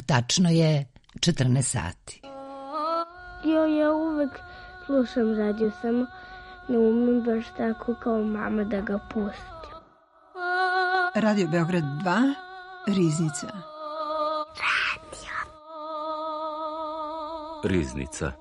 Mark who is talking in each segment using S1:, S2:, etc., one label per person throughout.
S1: tačno je 14 sati.
S2: Ja uvek slušam radio, samo ne umem baš tako kao mama da ga pustim.
S3: Radio Beograd 2, Riznica.
S4: Riznica.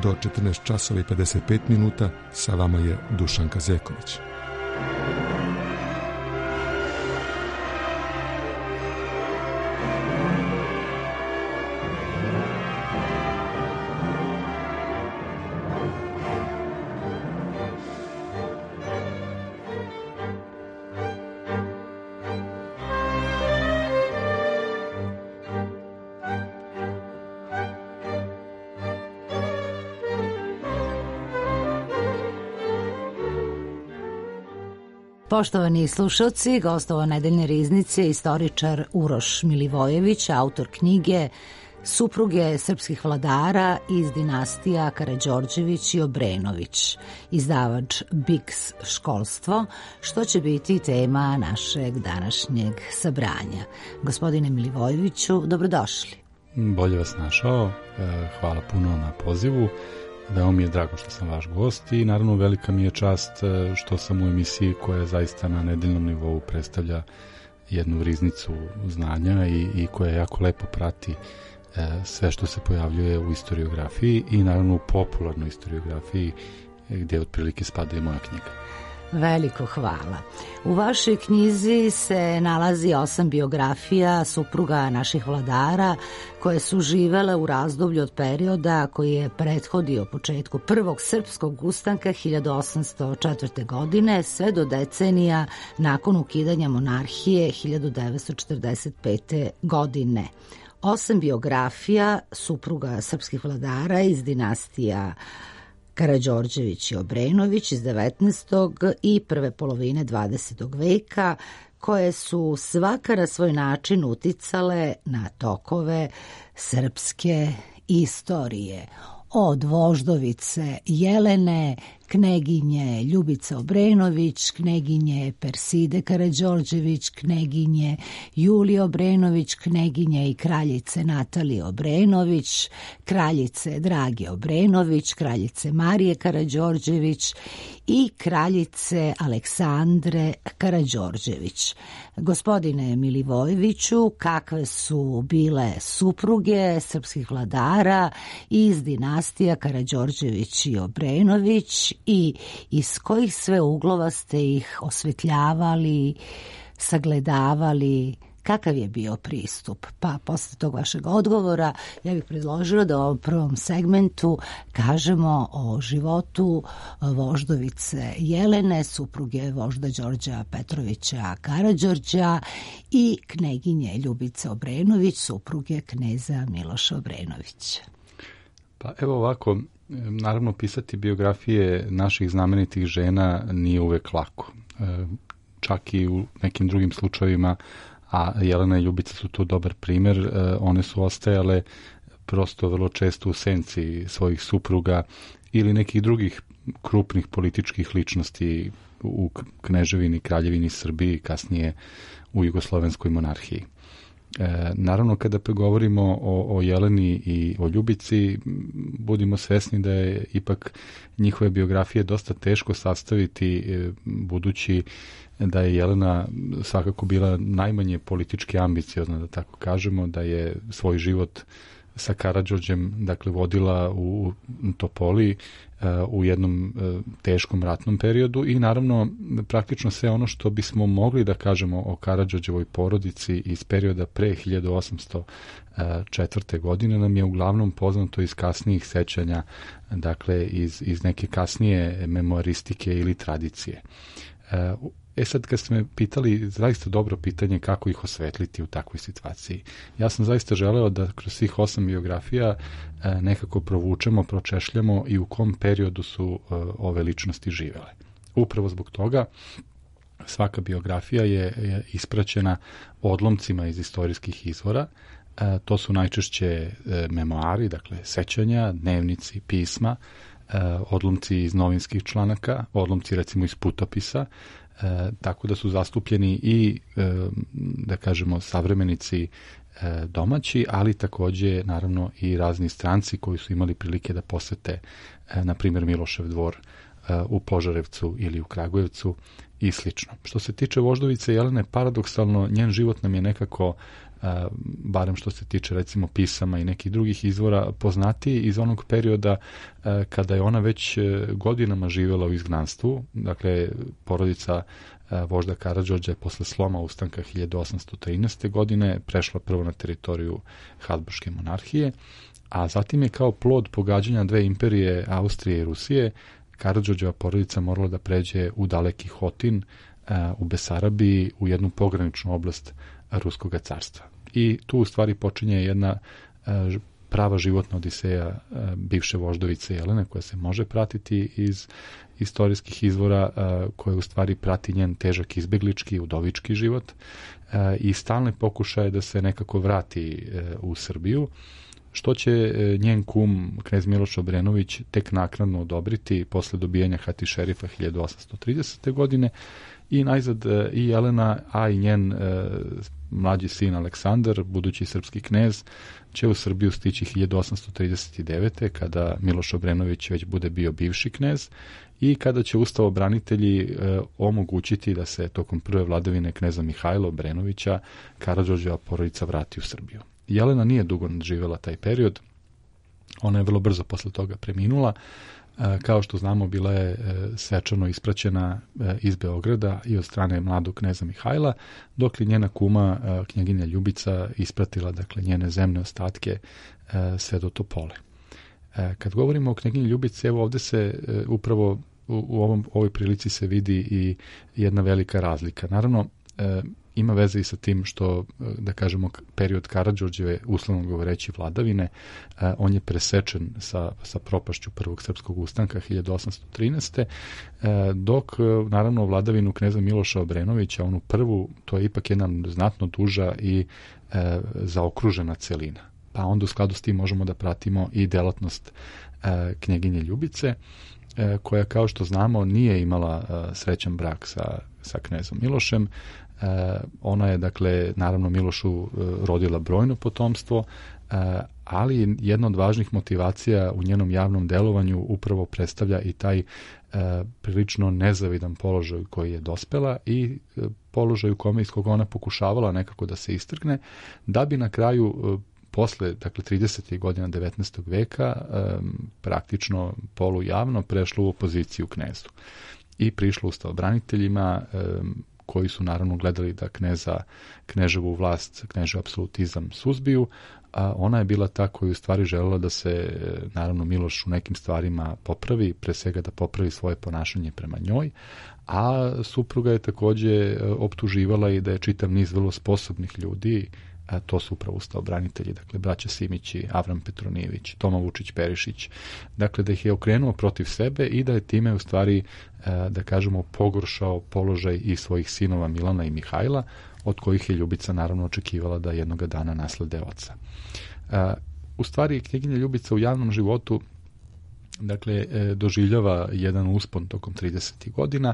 S5: Do 14 časova i 55 minuta sa vama je Dušan Kazeković.
S1: Poštovani slušalci, gostovao nedeljne riznice istoričar Uroš Milivojević, autor knjige Supruge srpskih vladara iz dinastija Karađorđević i Obrenović, izdavač Biks školstvo, što će biti tema našeg današnjeg sabranja. Gospodine Milivojeviću, dobrodošli.
S6: Bolje vas našao, hvala puno na pozivu. Veoma mi je drago što sam vaš gost i naravno velika mi je čast što sam u emisiji koja zaista na nedeljnom nivou predstavlja jednu riznicu znanja i koja jako lepo prati sve što se pojavljuje u istoriografiji i naravno u popularnoj istoriografiji gdje otprilike spada i moja knjiga.
S1: Veliko hvala. U vašoj knjizi se nalazi 8 biografija supruga naših vladara koje su živele u razdoblju od perioda koji je prethodio početku prvog srpskog ustanka 1804. godine sve do decenija nakon ukidanja monarhije 1945. godine. 8 biografija supruga srpskih vladara iz dinastija Karađorđević i Obrenović iz 19. i prve polovine 20. veka, koje su svaka na svoj način uticale na tokove srpske istorije. Od voždovice Jelene, kneginje Ljubice Obrenović, kneginje Perside Karađorđević, kneginje Julije Obrenović, kneginje i kraljice Natalije Obrenović, kraljice Drage Obrenović, kraljice Marije Karađorđević i kraljice Aleksandre Karađorđević. Gospodine Milivojeviću, kakve su bile supruge srpskih vladara iz dinastija Karađorđević i Obrenović i iz kojih sve uglova ste ih osvetljavali, sagledavali, kakav je bio pristup? Pa posle tog vašeg odgovora ja bih predložila da u ovom prvom segmentu kažemo o životu voždovice Jelene, supruge vožda Đorđa Petrovića Karađorđa i kneginje Ljubice Obrenović, supruge kneza Miloša Obrenovića.
S6: Pa evo ovako, naravno pisati biografije naših znamenitih žena nije uvek lako. Čak i u nekim drugim slučajevima, a Jelena i Ljubica su tu dobar primjer, one su ostajale prosto vrlo često u senci svojih supruga ili nekih drugih krupnih političkih ličnosti u kneževini, kraljevini Srbiji, kasnije u jugoslovenskoj monarhiji. Naravno, kada govorimo o Jeleni i o Ljubici, budimo svesni da je ipak njihove biografije dosta teško sastaviti, budući da je Jelena svakako bila najmanje politički ambiciozna, da tako kažemo, da je svoj život sa Karađorđem, dakle, vodila u Topoli u jednom teškom ratnom periodu i naravno praktično sve ono što bismo mogli da kažemo o Karađorđevoj porodici iz perioda pre 1804. godine nam je uglavnom poznato iz kasnijih sećanja, dakle iz neke kasnije memoaristike ili tradicije. Sad kad ste me pitali, zaista dobro pitanje kako ih osvetliti u takvoj situaciji. Ja sam zaista želeo da kroz svih 8 biografija nekako provučemo, pročešljamo i u kom periodu su ove ličnosti živele. Upravo zbog toga svaka biografija je ispraćena odlomcima iz istorijskih izvora. To su najčešće memoari, dakle sećanja, dnevnici, pisma, odlomci iz novinskih članaka, odlomci recimo iz putopisa, tako da su zastupljeni i, da kažemo, savremenici domaći, ali takođe naravno i razni stranci koji su imali prilike da posete, na primjer, Milošev dvor u Požarevcu ili u Kragujevcu i slično. Što se tiče voždovice Jelene, paradoksalno, njen život nam je nekako, barem što se tiče recimo pisama i nekih drugih izvora, poznatiji iz onog perioda kada je ona već godinama živjela u izgnanstvu. Dakle, porodica vožda Karađorđa je posle sloma ustanka 1813. godine prešla prvo na teritoriju Habsburške monarhije, a zatim je kao plod pogađanja dve imperije, Austrije i Rusije, Karađorđeva porodica morala da pređe u daleki Hotin, u Besarabiji, u jednu pograničnu oblast Ruskog carstva. I tu u stvari počinje jedna prava životna odiseja bivše voždovice Jelene, koja se može pratiti iz istorijskih izvora, koja u stvari prati njen težak izbeglički, udovički život i stalne pokušaje da se nekako vrati u Srbiju, što će njen kum, knez Miloš Obrenović, tek naknadno odobriti posle dobijanja hati šerifa 1830. godine. I najzad i Jelena, a i njen mlađi sin Aleksandar, budući srpski knez, će u Srbiju stići 1839. kada Miloš Obrenović već bude bio bivši knez i kada će ustavobranitelji omogućiti da se tokom prve vladavine kneza Mihajla Obrenovića Karađorđeva porodica vrati u Srbiju. Jelena nije dugo nadživjela taj period, ona je vrlo brzo posle toga preminula. Kao što znamo, bila je svečano ispraćena iz Beograda i od strane mladog kneza Mihajla, dok je njena kuma, knjaginja Ljubica, ispratila, dakle, njene zemne ostatke sve do Topole. Kad govorimo o knjaginji Ljubici, evo ovde se upravo u ovoj prilici se vidi i jedna velika razlika. Naravno, ima veze i sa tim što, da kažemo, period Karađorđeve, uslovno govoreći, vladavine, on je presečen sa propašću prvog srpskog ustanka 1813. Dok, naravno, vladavinu kneza Miloša Obrenovića, onu prvu, to je ipak jedna znatno duža i zaokružena celina. Pa onda u skladu s tim možemo da pratimo i delatnost knjaginje Ljubice, koja, kao što znamo, nije imala srećan brak sa knezom Milošem. Ona je, dakle, naravno Milošu rodila brojno potomstvo, ali jedna od važnih motivacija u njenom javnom delovanju upravo predstavlja i taj prilično nezavidan položaj koji je dospela i položaj u kome, iz koga ona pokušavala nekako da se istrgne, da bi na kraju posle, dakle, 30. godina 19. veka praktično polujavno prešlo u opoziciju knezdu i prišlo ustavobraniteljima, koji su naravno gledali da kneževu vlast, knežev apsolutizam suzbiju, a ona je bila ta koja u stvari želela da se, naravno, Miloš u nekim stvarima popravi, pre svega da popravi svoje ponašanje prema njoj, a supruga je takođe optuživala i da je čitav niz vrlo sposobnih ljudi, a to su upravo ustavobranitelji, dakle, braća Simići, Avram Petronijević, Toma Vučić-Perišić, dakle, da ih je okrenuo protiv sebe i da je time u stvari, da kažemo, pogoršao položaj i svojih sinova Milana i Mihajla, od kojih je Ljubica naravno očekivala da jednoga dana naslede oca. U stvari, knjaginja Ljubica u javnom životu, dakle, doživljava jedan uspon tokom 30. godina,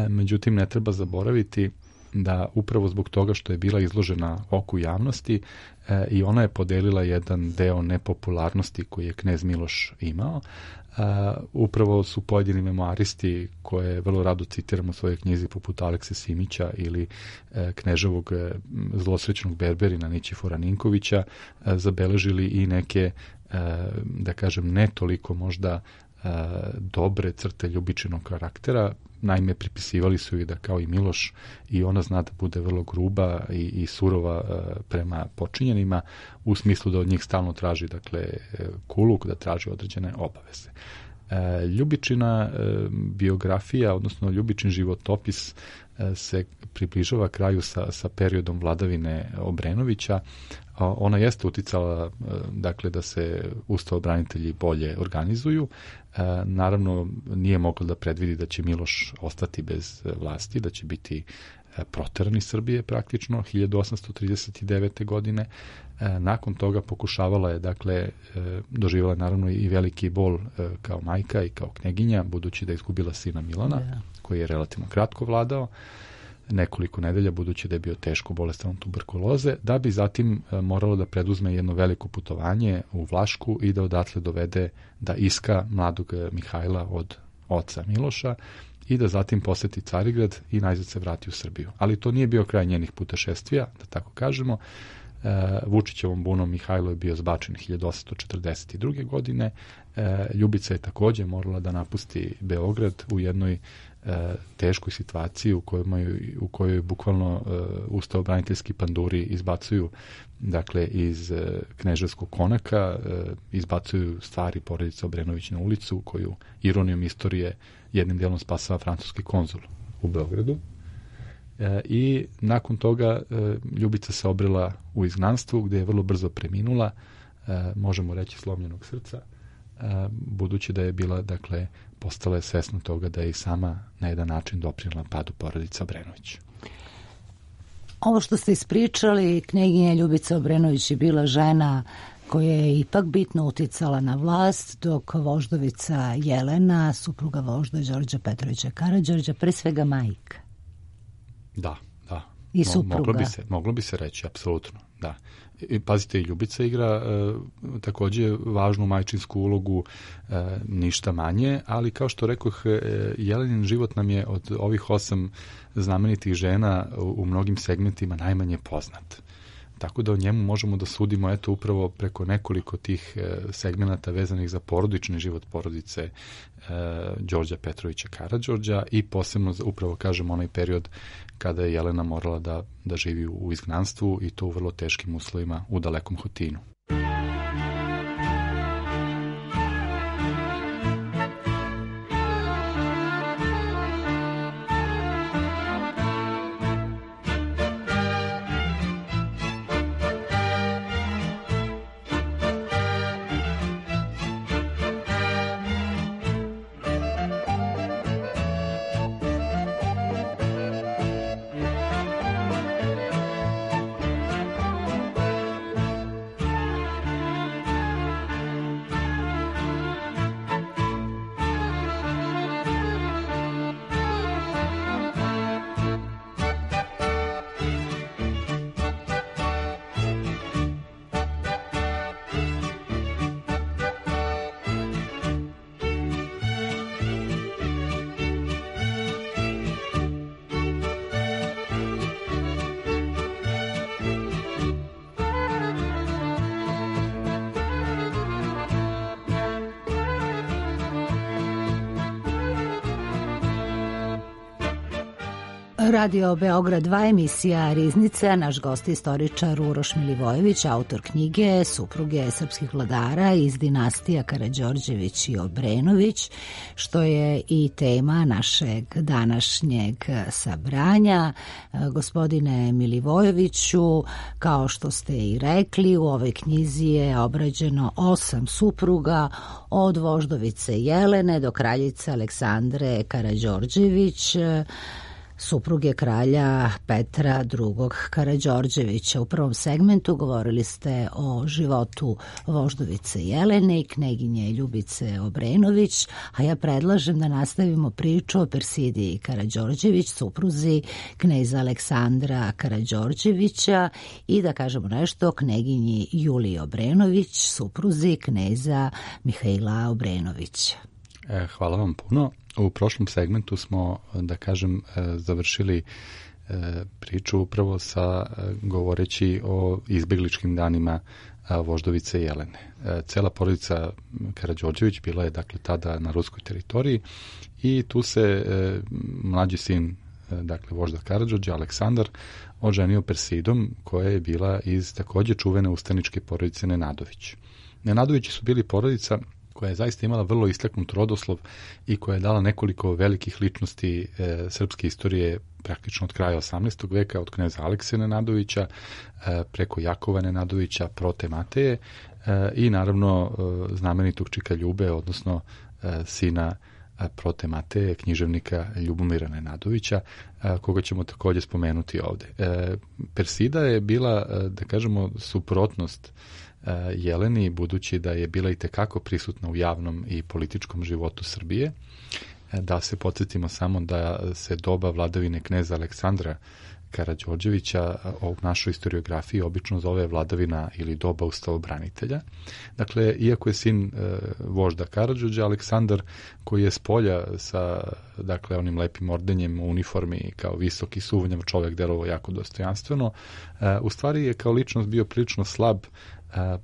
S6: međutim, ne treba zaboraviti da upravo zbog toga što je bila izložena oku javnosti i ona je podelila jedan deo nepopularnosti koji je knez Miloš imao. Upravo su pojedini memoaristi, koje vrlo rado citiramo u svojoj knjizi, poput Alekse Simića ili kneževog zlosrećnog berberina Nićifora Ninkovića, zabeležili i neke, da kažem, ne toliko možda dobre crte Ljubičinog karaktera. Naime, pripisivali su i da, kao i Miloš, i ona zna da bude vrlo gruba i surova prema počinjenima, u smislu da od njih stalno traži, dakle, kuluk, da traži određene obaveze. Ljubičina biografija, odnosno Ljubičin životopis se približava kraju sa periodom vladavine Obrenovića. Ona jeste uticala dakle da se ustavobranitelji bolje organizuju. Naravno nije mogla da predvidi da će Miloš ostati bez vlasti, da će biti proteran iz Srbije praktično 1839. godine. Nakon toga pokušavala je, dakle, doživjela naravno i veliki bol kao majka i kao kneginja, budući da je izgubila sina Milana, koji je relativno kratko vladao, nekoliko nedelja, budući da je bio teško bolestan od tuberkuloze, da bi zatim moralo da preduzme jedno veliko putovanje u Vlašku i da odatle dovede da iska mladog Mihajla od oca Miloša i da zatim poseti Carigrad i najzad se vrati u Srbiju. Ali to nije bio kraj njenih putešestvija, da tako kažemo. Vučićevom bunom Mihajlo je bio zbačen 1842. godine. Ljubica je također morala da napusti Beograd u jednoj teškoj situaciji u kojoj bukvalno ustavobraniteljski panduri izbacuju, dakle, iz Kneževskog konaka, izbacuju stvari porodice Obrenović na ulicu, koju ironijom istorije jednim dijelom spasava francuski konzul u Beogradu. I nakon toga Ljubica se obrela u izgnanstvu, gdje je vrlo brzo preminula, možemo reći slomljenog srca, budući da je bila, dakle, postala je svesna toga da je i sama na jedan način doprinela padu porodice Obrenović.
S1: Ovo što ste ispričali, knjeginja Ljubica Obrenović je bila žena koja je ipak bitno uticala na vlast, dok voždovica Jelena, supruga vožda Đorđa Petrovića Karađorđa, pre svega majka.
S6: Da.
S1: I supruga.
S6: Moglo bi se reći, apsolutno, da. I pazite, i Ljubica igra također važnu majčinsku ulogu, ništa manje, ali kao što rekoh, Jelenin život nam je od ovih 8 znamenitih žena u mnogim segmentima najmanje poznat. Tako da o njemu možemo da sudimo eto upravo preko nekoliko tih segmenata vezanih za porodični život porodice Đorđa Petrovića Karađorđa i posebno upravo, kažem, onaj period kada je Jelena morala da živi u izgnanstvu i to u vrlo teškim uslovima u dalekom Hotinu.
S1: Radio Beograd 2, emisija Riznica, naš gost istoričar Uroš Milivojević, autor knjige Supruge srpskih vladara iz dinastija Karađorđević i Obrenović, što je i tema našeg današnjeg sabranja. Gospodine Milivojeviću, kao što ste i rekli, u ovoj knjizi je obrađeno 8 supruga, od voždovice Jelene do kraljice Aleksandre Karađorđević, supruge kralja Petra II. Karađorđevića. U prvom segmentu govorili ste o životu voždovice Jelene i kneginje Ljubice Obrenović, a ja predlažem da nastavimo priču o Persidiji Karađorđević, supruzi kneza Aleksandra Karađorđevića, i da kažemo nešto o kneginji Juliji Obrenović, supruzi kneza Mihaila Obrenovića.
S6: Hvala vam puno. U prošlom segmentu smo, da kažem, završili priču upravo sa govoreći o izbegličkim danima voždovice Jelene. Cela porodica Karađorđević bila je, dakle, tada na ruskoj teritoriji i tu se mlađi sin, dakle, vožda Karađorđa, Aleksandar, oženio Persidom, koja je bila iz također čuvene ustaničke porodice Nenadović. Nenadovići su bili porodica koja je zaista imala vrlo istaknut rodoslov i koja je dala nekoliko velikih ličnosti srpske istorije praktično od kraja 18. veka, od kneza Alekse Nenadovića, preko Jakova Nenadovića, Prote Mateje i naravno znamenitog Čika Ljube, odnosno sina Prote Mateje, književnika Ljubomira Nenadovića, koga ćemo također spomenuti ovde. Persida je bila, da kažemo, suprotnost Jeleni, budući da je bila i tekako prisutna u javnom i političkom životu Srbije. Da se podsjetimo samo da se doba vladavine kneza Aleksandra Karađorđevića u našoj historiografiji obično zove vladavina ili doba ustavobranitelja. Dakle, iako je sin vožda Karađorđa, Aleksandar, koji je s polja sa onim lepim ordenjem u uniformi kao visoki suvnjav čovjek, delovao jako dostojanstveno, u stvari je kao ličnost bio prilično slab,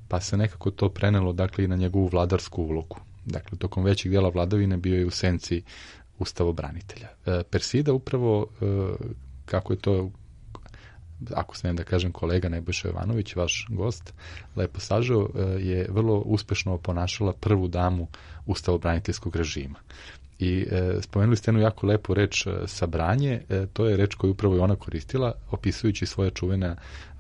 S6: pa se nekako to prenelo i na njegovu vladarsku ulogu. Dakle, tokom većeg dijela vladavine bio je u senci ustavobranitelja. Persida upravo, kako je to, ako smijem da kažem, kolega Nebojša Jovanović, vaš gost, lepo sažao, je vrlo uspešno oponašala prvu damu ustavobraniteljskog režima. I spomenuli ste jednu jako lepu reč sabranje, to je reč koju upravo i ona koristila, opisujući svoje čuvena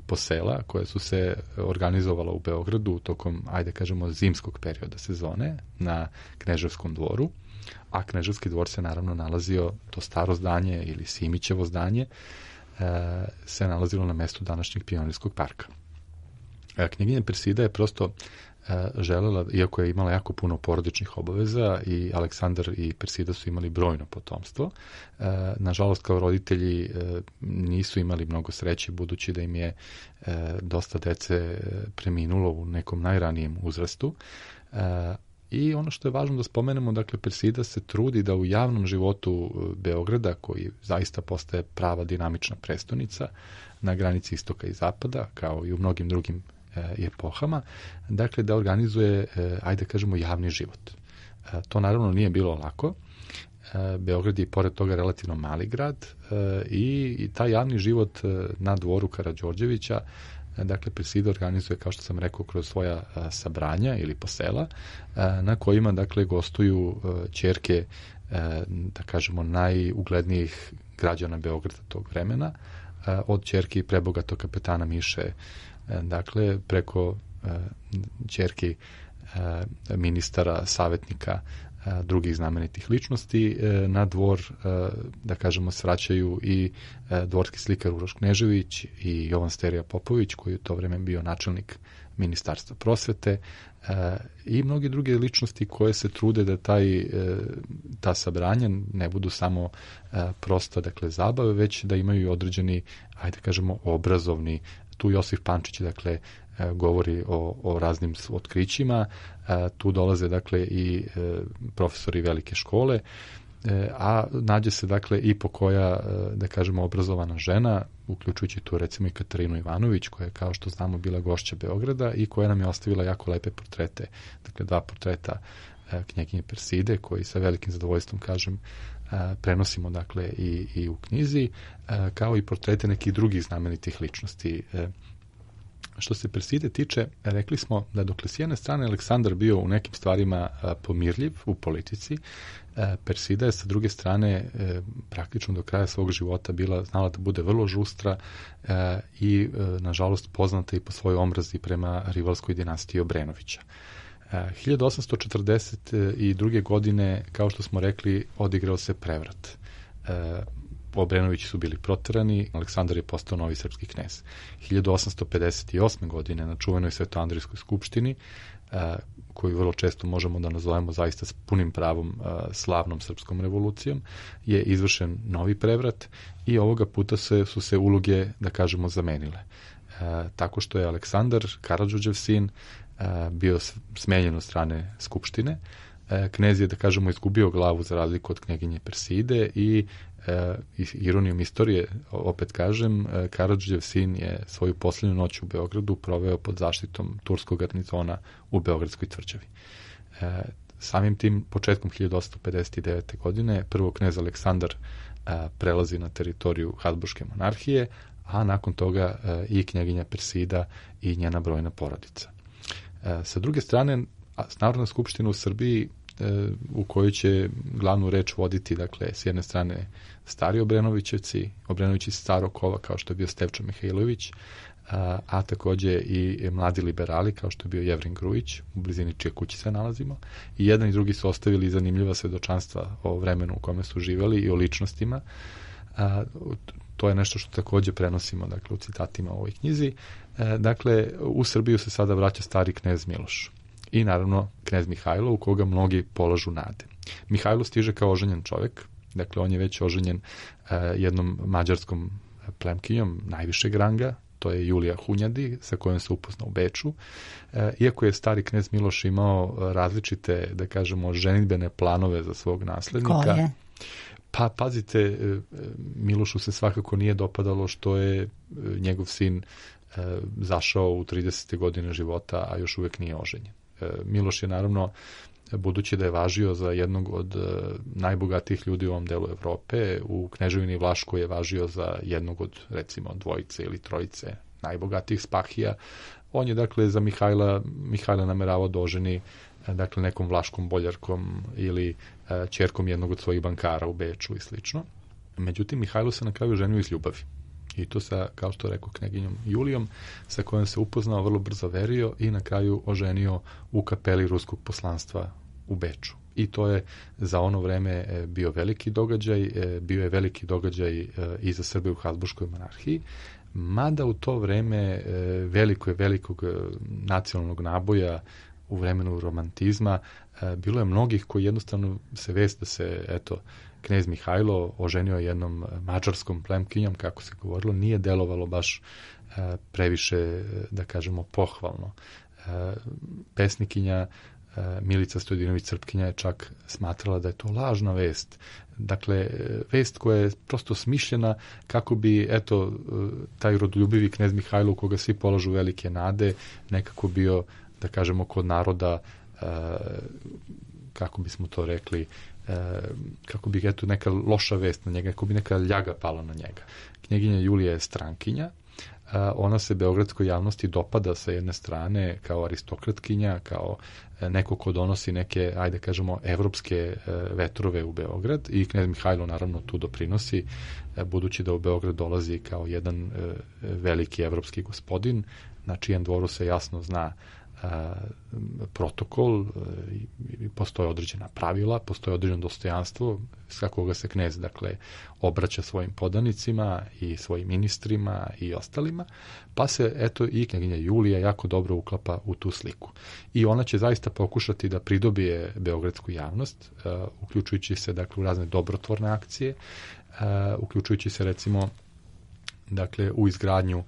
S6: posela koja su se organizovala u Beogradu tokom, ajde kažemo, zimskog perioda sezone na Kneževskom dvoru, a Kneževski dvor se naravno nalazio, to staro zdanje ili Simićevo zdanje, se nalazilo na mestu današnjeg Pionirskog parka. Knjeginja Persida je prosto želela, iako je imala jako puno porodičnih obaveza, i Aleksandar i Persida su imali brojno potomstvo. Nažalost, kao roditelji nisu imali mnogo sreće, budući da im je dosta dece preminulo u nekom najranijem uzrastu. I ono što je važno da spomenemo, dakle, Persida se trudi da u javnom životu Beograda, koji zaista postaje prava dinamična prestonica na granici istoka i zapada, kao i u mnogim drugim epohama, dakle, da organizuje, ajde kažemo, javni život. To naravno nije bilo lako. Beograd je pored toga relativno mali grad i taj javni život na dvoru Karađorđevića, dakle, Persida organizuje, kao što sam rekao, kroz svoja sabranja ili posela, na kojima, dakle, gostuju ćerke, da kažemo, najuglednijih građana Beograda tog vremena, od ćerki prebogatog kapetana Miše, dakle, preko ćerki ministara, savjetnika, drugih znamenitih ličnosti. Na dvor, da kažemo, svraćaju i dvorski slikar Uroš Knežević i Jovan Sterija Popović, koji je u to vreme bio načelnik Ministarstva prosvete, i mnogi druge ličnosti koje se trude da ta sabranja ne budu samo prosto, dakle, zabave, već da imaju i određeni, ajde kažemo, obrazovni. Tu Josif Pančić, dakle, govori o raznim otkrićima, tu dolaze, dakle, i profesori velike škole, a nađe se, dakle, i po koja, da kažemo, obrazovana žena, uključujući tu recimo i Katarinu Ivanović, koja je, kao što znamo, bila gošća Beograda i koja nam je ostavila jako lepe portrete, dakle, 2 portreta knjeginje Perside, koji sa velikim zadovoljstvom, kažem, prenosimo, dakle, i u knjizi, kao i portrete nekih drugih znamenitih ličnosti. Što se Perside tiče, rekli smo da dokle s jedne strane Aleksandar bio u nekim stvarima pomirljiv u politici, Persida je sa druge strane praktično do kraja svog života znala da bude vrlo žustra i, nažalost, poznata i po svojoj omrazi prema rivalskoj dinastiji Obrenovića. 1842. godine, kao što smo rekli, odigrao se prevrat. Obrenovići su bili proterani, Aleksandar je postao novi srpski knez. 1858. godine na čuvenoj Svetoandrijskoj skupštini, koju vrlo često možemo da nazovemo zaista s punim pravom slavnom srpskom revolucijom, je izvršen novi prevrat i ovoga puta su se uloge, da kažemo, zamenile. Tako što je Aleksandar, Karađorđev sin, bio smenjen od strane skupštine. Knez je, da kažemo, izgubio glavu za razliku od knjeginje Perside i ironijom istorije, opet kažem, Karađorđev sin je svoju posljednju noć u Beogradu proveo pod zaštitom turskog garnizona u Beogradskoj tvrđavi. Samim tim, početkom 1859. godine, prvo knez Aleksandar prelazi na teritoriju Habsburške monarhije, a nakon toga i knjeginja Persida i njena brojna porodica. Sa druge strane, Narodna skupština u Srbiji u kojoj će glavnu reč voditi, dakle, s jedne strane stari Obrenovićevci, Obrenovići starog kova, kao što je bio Stevčo Mihajlović, a takođe i mladi liberali, kao što je bio Jevrin Grujić, u blizini čije kući se nalazimo. I jedan i drugi su ostavili zanimljiva svedočanstva o vremenu u kome su živeli i o ličnostima. To je nešto što takođe prenosimo, dakle, u citatima u ovoj knjizi. Dakle, u Srbiju se sada vraća stari knez Miloš. I naravno knez Mihajlo, u koga mnogi polažu nade. Mihajlo stiže kao oženjen čovek, dakle on je već oženjen jednom mađarskom plemkinjom najvišeg ranga, to je Julija Hunjadi, sa kojom se upoznao u Beču. Iako je stari knez Miloš imao različite, da kažemo, ženidbene planove za svog naslednika.
S1: Koje?
S6: Pa, pazite, Milošu se svakako nije dopadalo što je njegov sin zašao u 30. godine života, a još uvek nije oženjen. Miloš je naravno, budući da je važio za jednog od najbogatijih ljudi u ovom delu Evrope, u Kneževini Vlaškoj je važio za jednog od, recimo, dvojice ili trojice najbogatijih spahija. On je, dakle, za Mihajla nameravao da oženi, dakle, nekom vlaškom boljarkom ili ćerkom jednog od svojih bankara u Beču i slično. Međutim, Mihajlo se na kraju ženio iz ljubavi. I to sa, kao što rekao, kneginjom Julijom, sa kojom se upoznao, vrlo brzo verio i na kraju oženio u kapeli ruskog poslanstva u Beču. I to je za ono vreme bio veliki događaj, bio je veliki događaj i za Srbe u Habsburškoj monarhiji, mada u to vreme velikog nacionalnog naboja u vremenu romantizma bilo je mnogih koji jednostavno se vest da se, eto, knez Mihajlo oženio jednom mađarskom plemkinjom, kako se govorilo, nije delovalo baš previše, da kažemo, pohvalno. Pesnikinja Milica Stojdinović-Crpkinja je čak smatrala da je to lažna vest. Dakle, vest koja je prosto smišljena kako bi, eto, taj rodoljubivi knez Mihajlo, u koga svi polažu velike nade, nekako bio, da kažemo, kod naroda, kako bismo to rekli, kako bi, eto, neka loša vest na njega, kako bi neka ljaga pala na njega. Knjeginja Julija je strankinja, ona se beogradskoj javnosti dopada sa jedne strane kao aristokratkinja, kao neko ko donosi neke, ajde kažemo, evropske vetrove u Beograd, i knez Mihajlo naravno tu doprinosi, budući da u Beograd dolazi kao jedan veliki evropski gospodin, na čijem dvoru se jasno zna protokol, postoje određena pravila, postoje određeno dostojanstvo s koga se knez, dakle, obraća svojim podanicima i svojim ministrima i ostalima, pa se, eto, i knjeginja Julija jako dobro uklapa u tu sliku. I ona će zaista pokušati da pridobije beogradsku javnost, uključujući se, dakle, u razne dobrotvorne akcije, uključujući se, recimo, dakle, u izgradnju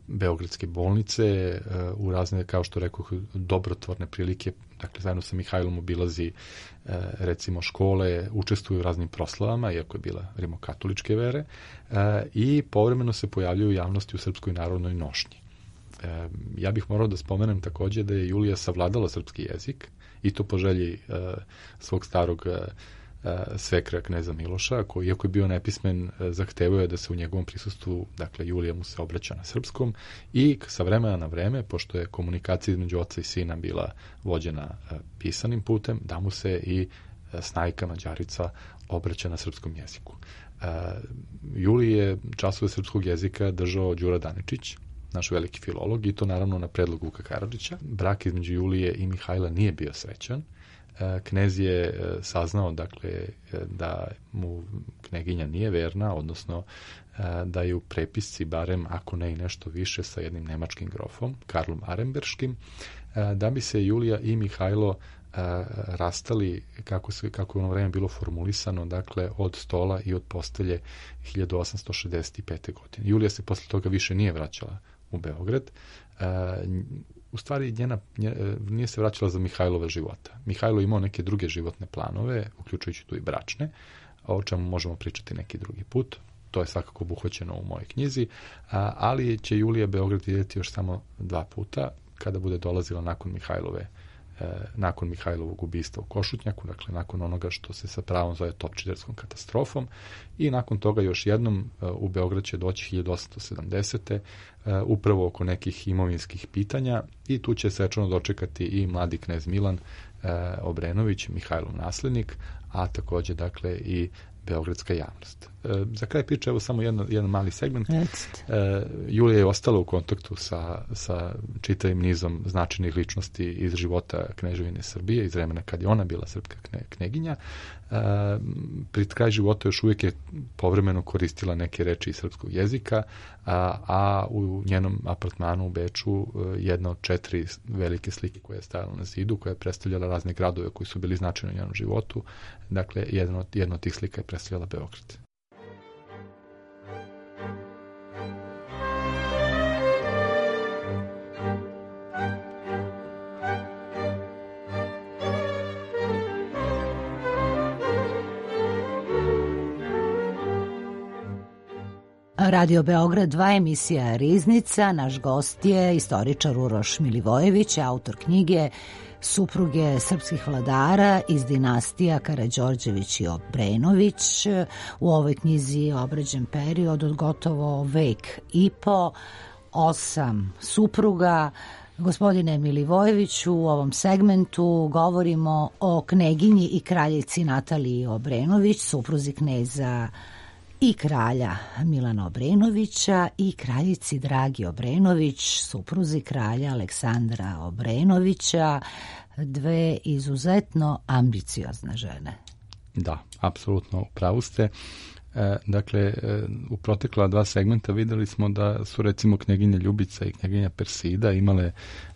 S6: beogradske bolnice, u razne, kao što rekao, dobrotvorne prilike, dakle, zajedno sa Mihajlom obilazi, recimo, škole, učestvuju u raznim proslavama, iako je bila rimokatoličke vere, i povremeno se pojavljaju u javnosti u Srpskoj narodnoj nošnji. Ja bih morao da spomenem takođe da je Julija savladala srpski jezik, i to po želji svog starog svekra kneza Miloša, koji, iako je bio nepismen, zahtevao je da se u njegovom prisustvu, dakle, Julija mu se obraća na srpskom, i sa vremena na vreme, pošto je komunikacija između oca i sina bila vođena pisanim putem, da mu se i snajka Mađarica obraća na srpskom jeziku. Juliji je časove srpskog jezika držao Đura Daničić, naš veliki filolog, i to naravno na predlog Vuka Karadžića. Brak između Julije i Mihajla nije bio srećan. Knez je saznao, dakle, da mu kneginja nije verna, odnosno da je u prepisci, barem ako ne i nešto više, sa jednim nemačkim grofom, Karlom Aremberškim, da bi se Julija i Mihajlo rastali, kako je ono vreme bilo formulisano, dakle, od stola i od postelje 1865. godine. Julija se posle toga više nije vraćala u Beograd. U stvari, nije se vraćala za Mihajlova života. Mihajlo imao neke druge životne planove, uključujući tu i bračne, o čemu možemo pričati neki drugi put. To je svakako obuhvaćeno u mojoj knjizi, ali će Julija Beograd vidjeti još samo 2 puta, kada bude dolazila nakon Mihajlove nakon Mihajlovog ubistva u Košutnjaku, dakle nakon onoga što se sa pravom zove Topčiderskom katastrofom, i nakon toga još jednom u Beograd će doći 1870. Upravo oko nekih imovinskih pitanja, i tu će svečano dočekati i mladi knez Milan Obrenović, Mihajlov naslednik, a takođe dakle i beogradska javnost. Za kraj priče, evo samo jedan mali segment. Julija je ostala u kontaktu sa čitavim nizom značajnih ličnosti iz života Kneževine Srbije, iz vremena kad je ona bila srpska kneginja. Pri kraju života još uvijek je povremeno koristila neke reči iz srpskog jezika, a u njenom apartmanu u Beču jedna od 4 velike slike koja je stajala na zidu, koja je predstavljala razne gradove koji su bili značajni u njenom životu. Dakle, jedna od tih slika je predstavljala Beograd.
S1: Radio Beograd 2, emisija Riznica. Naš gost je istoričar Uroš Milivojević, autor knjige Supruge srpskih vladara iz dinastija Karađorđević i Obrenović. U ovoj knjizi je obrađen period od gotovo vek i po, 8 supruga. Gospodine Milivojeviću, u ovom segmentu govorimo o kneginji i kraljici Nataliji Obrenović, supruzi kneza i kralja Milana Obrenovića, i kraljici Dragi Obrenović, supruzi kralja Aleksandra Obrenovića, 2 izuzetno ambiciozne žene.
S6: Da, apsolutno, u pravu ste. Dakle, u protekla 2 segmenta videli smo da su recimo kneginja Ljubica i kneginja Persida imale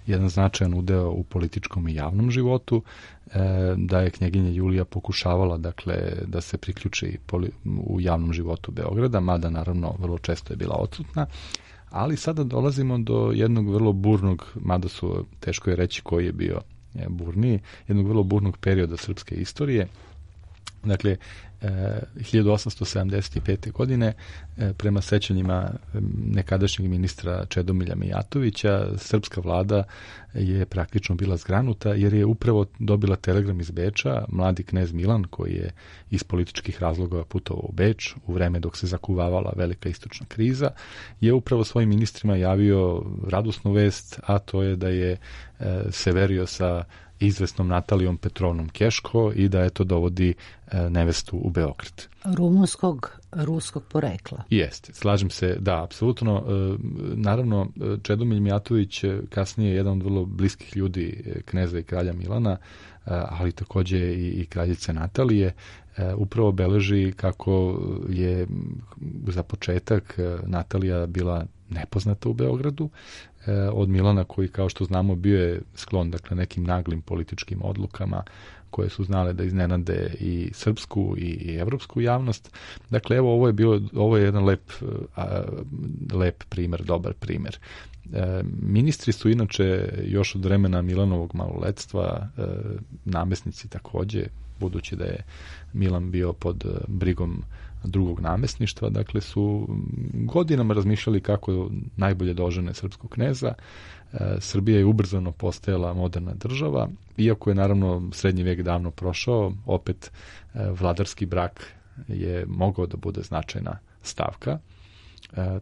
S6: jedan značajan udeo u političkom i javnom životu, da je kneginja Julija pokušavala dakle da se priključi u javnom životu Beograda, mada naravno vrlo često je bila odsutna, ali sada dolazimo do jednog vrlo burnog, mada teško je reći koji je bio burniji, jednog vrlo burnog perioda srpske istorije. Dakle, 1875. godine, prema sećanjima nekadašnjeg ministra Čedomilja Mijatovića, srpska vlada je praktično bila zgranuta, jer je upravo dobila telegram iz Beča. Mladi knez Milan, koji je iz političkih razloga putovao u Beč u vreme dok se zakuvavala velika istočna kriza, je upravo svojim ministrima javio radosnu vest, a to je da je se verio sa izvesnom Natalijom Petrovnom Keško i da eto dovodi nevestu u Beograd.
S1: Ruskog porekla.
S6: Jeste, slažem se, da, apsolutno. Naravno, Čedomilj Mijatović kasnije je jedan od vrlo bliskih ljudi kneza i kralja Milana, ali takođe i kraljice Natalije, upravo beleži kako je za početak Natalija bila nepoznata u Beogradu od Milana, koji, kao što znamo, bio je sklon dakle nekim naglim političkim odlukama koje su znale da iznenade i srpsku i evropsku javnost. Dakle, evo, ovo je jedan lep primer, dobar primer. Ministri su inače još od vremena Milanovog maloletstva, namesnici takođe, budući da je Milan bio pod brigom drugog namesništva, dakle su godinama razmišljali kako najbolje da ožene srpskog kneza. Srbija je ubrzano postajala moderna država, iako je naravno srednji vek davno prošao, opet vladarski brak je mogao da bude značajna stavka.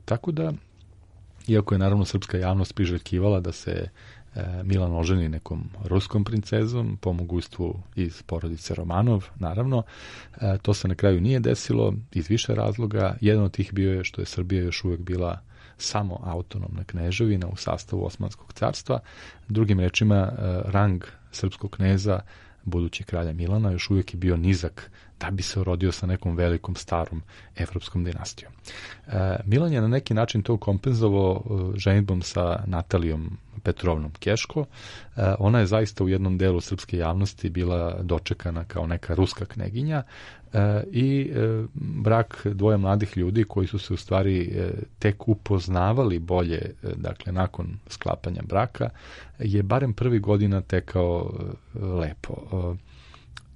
S6: Tako da, iako je naravno srpska javnost priželjkivala da se Milan oženi nekom ruskom princezom, po mogućstvu iz porodice Romanov, naravno. To se na kraju nije desilo iz više razloga. Jedan od tih bio je što je Srbija još uvijek bila samo autonomna kneževina u sastavu Osmanskog carstva. Drugim rečima, rang srpskog kneza, budući kralja Milana, još uvijek je bio nizak da bi se rodio sa nekom velikom starom evropskom dinastijom. Milan je na neki način to kompenzovao ženidbom sa Natalijom Petrovnom Keško. Ona je zaista u jednom delu srpske javnosti bila dočekana kao neka ruska kneginja i brak dvoje mladih ljudi koji su se u stvari tek upoznavali bolje, dakle nakon sklapanja braka, je barem prvih godina tekao lepo.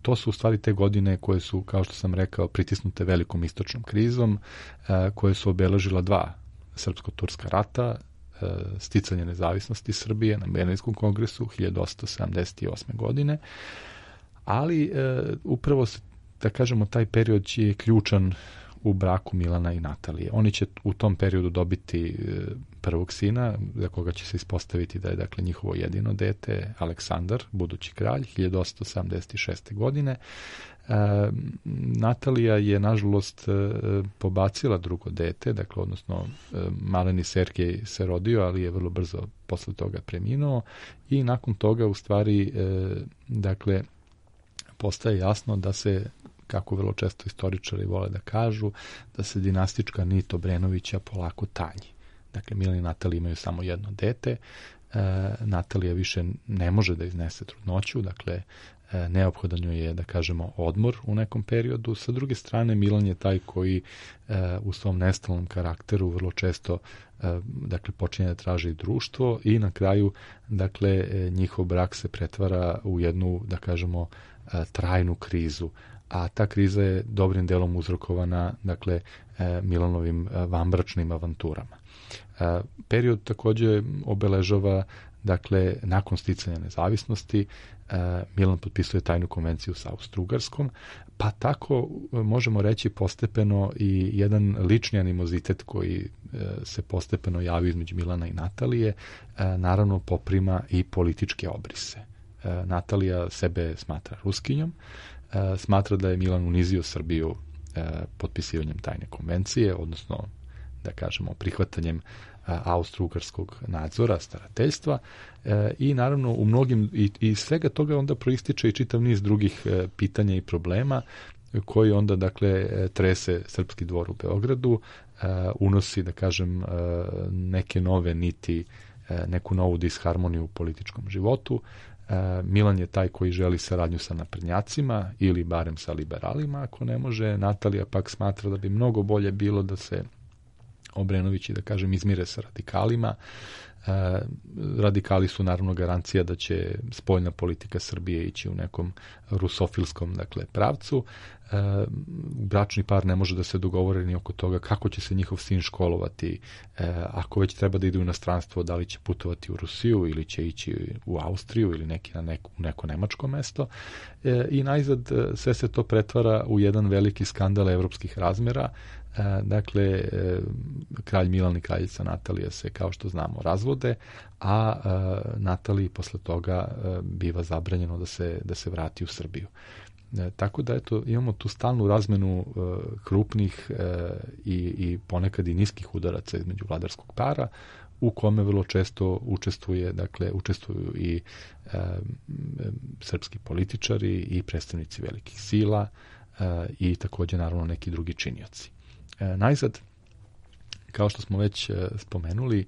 S6: To su u stvari te godine koje su, kao što sam rekao, pritisnute velikom istočnom krizom, koje su obeležila 2 srpsko-turska rata, sticanje nezavisnosti Srbije na Berlinskom kongresu 1878. godine, ali upravo da kažemo taj period je ključan u braku Milana i Natalije. Oni će u tom periodu dobiti prvog sina, za koga će se ispostaviti da je dakle njihovo jedino dete, Aleksandar, budući kralj, 1876. godine. Natalija je, nažalost, pobacila drugo dete, dakle, odnosno maleni Sergej se rodio, ali je vrlo brzo posle toga preminuo i nakon toga, u stvari, dakle, postaje jasno da se, kako vrlo često istoričari vole da kažu, da se dinastička nit Obrenovića polako tanji. Dakle, Milan i Natalija imaju samo jedno dete, Natalija više ne može da iznese trudnoću, dakle, neophodan joj je, da kažemo, odmor u nekom periodu. Sa druge strane, Milan je taj koji u svom nestalnom karakteru vrlo često dakle, počinje da traži društvo i na kraju, dakle, njihov brak se pretvara u jednu, da kažemo, trajnu krizu, a ta kriza je dobrim delom uzrokovana, dakle, Milanovim vanbračnim avanturama. Period takođe obeležava, dakle, nakon sticanja nezavisnosti, Milan potpisuje tajnu konvenciju sa Austro-Ugarskom, pa tako možemo reći postepeno i jedan lični animozitet koji se postepeno javi između Milana i Natalije, naravno poprima i političke obrise. Natalija sebe smatra Ruskinjom, smatra da je Milan unizio Srbiju potpisivanjem tajne konvencije, odnosno, da kažemo, prihvatanjem austro-ugarskog nadzora, starateljstva i naravno u mnogim i svega toga onda proističe i čitav niz drugih pitanja i problema koji onda, dakle, trese srpski dvor u Beogradu, unosi, da kažem, neke nove niti, neku novu disharmoniju u političkom životu. Milan je taj koji želi saradnju sa naprednjacima ili barem sa liberalima, ako ne može. Natalija pak smatra da bi mnogo bolje bilo da se Obrenovići, da kažem, izmire sa radikalima. Radikali su naravno garancija da će spoljna politika Srbije ići u nekom rusofilskom, dakle, pravcu. Bračni par ne može da se dogovore ni oko toga kako će se njihov sin školovati, ako već treba da ide u inostranstvo, da li će putovati u Rusiju ili će ići u Austriju ili u neko nemačko mesto. I najzad sve se to pretvara u jedan veliki skandal evropskih razmera. Dakle, kralj Milan i kraljica Natalija se, kao što znamo, razvode, a Nataliji posle toga biva zabranjeno da se vrati u Srbiju. Tako da, eto, imamo tu stalnu razmenu krupnih i ponekad i niskih udaraca između vladarskog para, u kome vrlo često učestvuju i srpski političari i predstavnici velikih sila i takođe, naravno, neki drugi činioci. Najzad, kao što smo već spomenuli,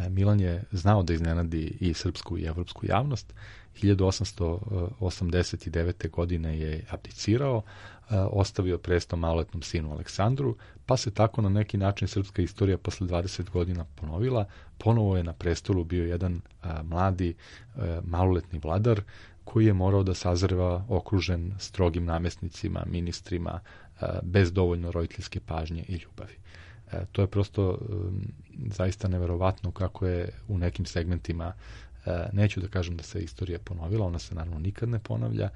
S6: Milan je znao da iznenadi i srpsku i evropsku javnost. 1889. godine je abdicirao, ostavio presto maloletnom sinu Aleksandru, pa se tako na neki način srpska istorija posle 20 godina ponovila. Ponovo je na prestolu bio jedan mladi maloletni vladar koji je morao da sazreva okružen strogim namesnicima, ministrima, bez dovoljno roditeljske pažnje i ljubavi. To je prosto zaista neverovatno kako je u nekim segmentima, neću da kažem da se istorija ponovila, ona se naravno nikad ne ponavlja,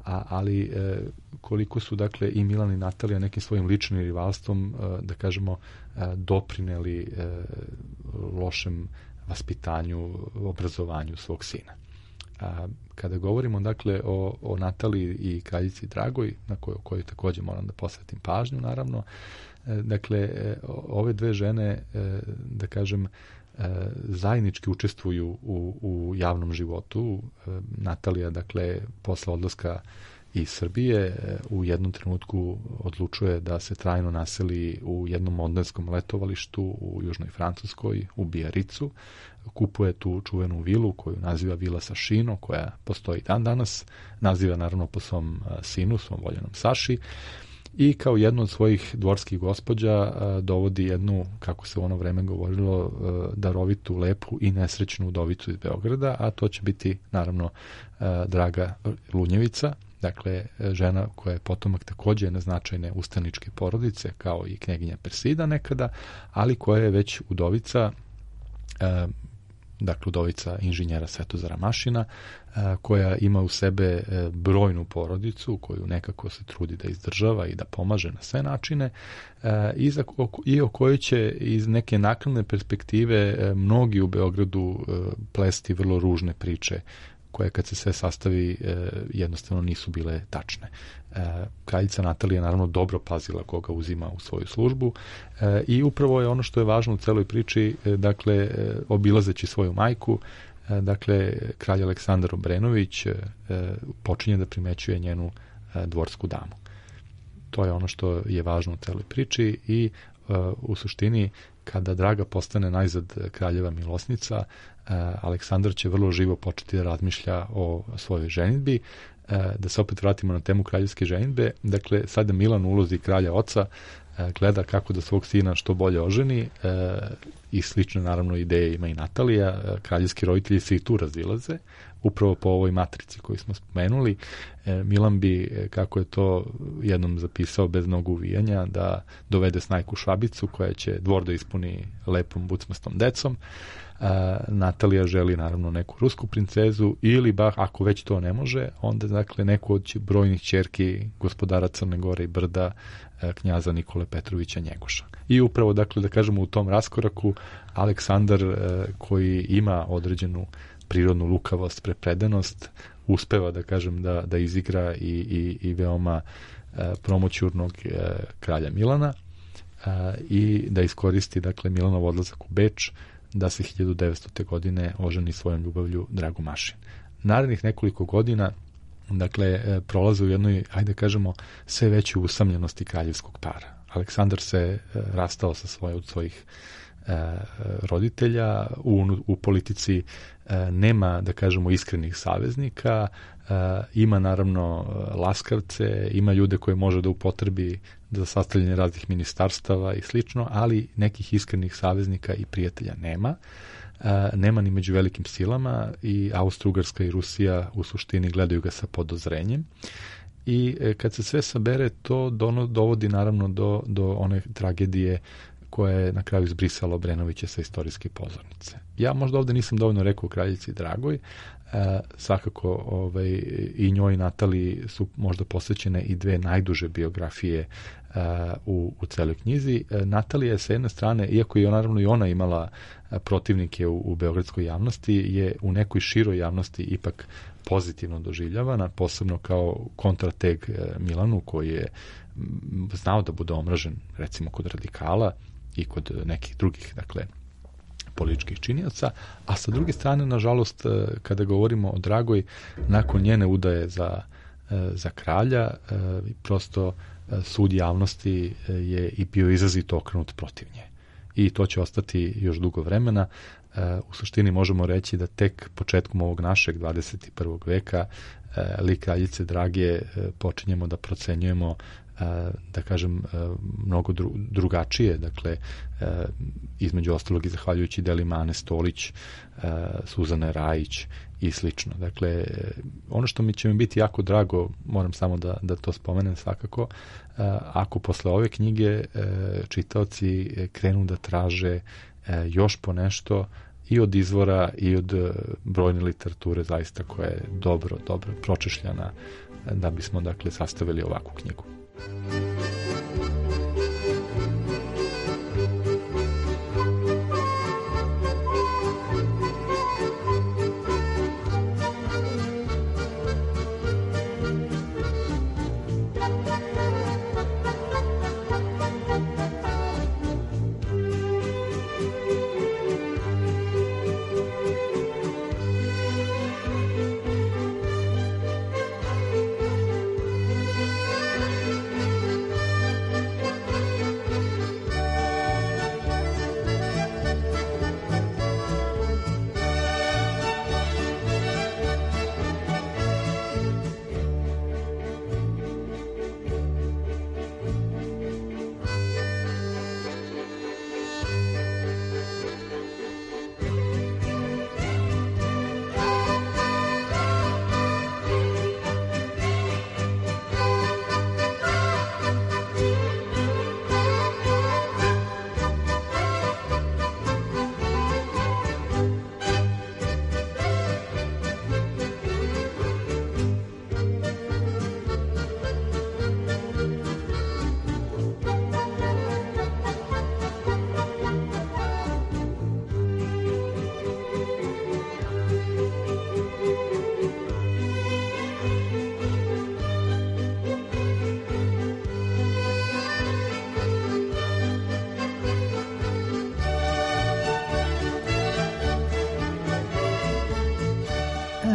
S6: ali koliko su, dakle, i Milan i Natalija nekim svojim ličnim rivalstvom, da kažemo, doprineli lošem vaspitanju, obrazovanju svog sina. Kada govorimo, dakle, o Nataliji i kraljici Dragoj, na kojoj takođe moram da posvetim pažnju, naravno, dakle, ove dve žene, da kažem, zajednički učestvuju u javnom životu. Natalija, dakle, posle odlaska iz Srbije u jednom trenutku odlučuje da se trajno naseli u jednom modelskom letovalištu u južnoj Francuskoj, u Biaricu. Kupuje tu čuvenu vilu koju naziva Vila Sašino, koja postoji dan danas. Naziva naravno po svom sinu, svom voljenom Saši. I kao jednu od svojih dvorskih gospođa dovodi jednu, kako se u ono vreme govorilo, darovitu, lepu i nesrećnu udovicu iz Beograda, a to će biti naravno Draga Lunjevica, dakle žena koja je potomak takođe jedne značajne ustaničke porodice, kao i knjeginja Persida nekada, ali koja je već udovica dakle udovica inženjera Svetozara Mašina, koja ima u sebe brojnu porodicu koju nekako se trudi da izdržava i da pomaže na sve načine, i o kojoj će iz neke naknadne perspektive mnogi u Beogradu plesti vrlo ružne priče koje kad se sve sastavi jednostavno nisu bile tačne. Kraljica Natalija naravno dobro pazila koga uzima u svoju službu i upravo je ono što je važno u celoj priči, dakle obilazeći svoju majku, dakle kralj Aleksandar Obrenović počinje da primećuje njenu dvorsku damu. To je ono što je važno u celoj priči i u suštini kada Draga postane najzad kraljeva milosnica, Aleksandar će vrlo živo početi da razmišlja o svojoj ženidbi. Da se opet vratimo na temu kraljevske ženidbe, dakle sada Milan u ulozi kralja oca gleda kako da svog sina što bolje oženi i slične naravno ideje ima i Natalija. Kraljevski roditelji se i tu razilaze, upravo po ovoj matrici koju smo spomenuli. Milan bi, kako je to jednom zapisao bez mnogo uvijanja, da dovede snajku Švabicu koja će dvor da ispuni lepom bucmastom decom. Natalija želi naravno neku rusku princezu ili ako već to ne može, onda dakle neku od brojnih ćerki gospodara Crne Gore i Brda, knjaza Nikole Petrovića Njegoša. I upravo dakle da kažemo u tom raskoraku Aleksandar, koji ima određenu prirodnu lukavost, prepredenost, uspeva da kažem da izigra i veoma promoćurnog kralja Milana i da iskoristi dakle Milanov odlazak u Beč da se 1900. godine oženi svojom ljubavlju Dragu Mašin. Narednih nekoliko godina dakle prolaze u jednoj, ajde kažemo, sve većoj usamljenosti kraljevskog para. Aleksandar se rastao sa svojih roditelja, u politici nema, da kažemo, iskrenih saveznika, ima naravno laskavce, ima ljude koje može da upotrebi za sastavljanje raznih ministarstava i slično, ali nekih iskrenih saveznika i prijatelja nema. Nema ni među velikim silama i Austro-Ugarska i Rusija u suštini gledaju ga sa podozrenjem. I kad se sve sabere, to dovodi naravno do one tragedije koja je na kraju izbrisala Obrenovića sa istorijske pozornice. Ja možda ovde nisam dovoljno rekao o kraljici Dragoj, svakako i njoj Nataliji su možda posvećene i dve najduže biografije u celoj knjizi. Natalija je sa jedne strane, iako je naravno i ona imala protivnike u beogradskoj javnosti, je u nekoj široj javnosti ipak pozitivno doživljavana, posebno kao kontrateg Milanu, koji je znao da bude omražen recimo kod radikala i kod nekih drugih, dakle, političkih činioca, a sa druge strane, nažalost, kada govorimo o Dragoj, nakon njene udaje za kralja, prosto sud javnosti je i bio izrazito okrenut protiv nje. I to će ostati još dugo vremena. U suštini možemo reći da tek početkom ovog našeg 21. veka lik kraljice Drage počinjemo da procenjujemo, da kažem, mnogo drugačije, dakle, između ostalog i zahvaljujući delima Ane Stolić, Suzane Rajić i slično. Dakle, ono što će mi biti jako drago, moram samo da to spomenem svakako, ako posle ove knjige čitaoci krenu da traže još po nešto i od izvora i od brojne literature zaista koja je dobro pročešljana da bismo, dakle, sastavili ovakvu knjigu.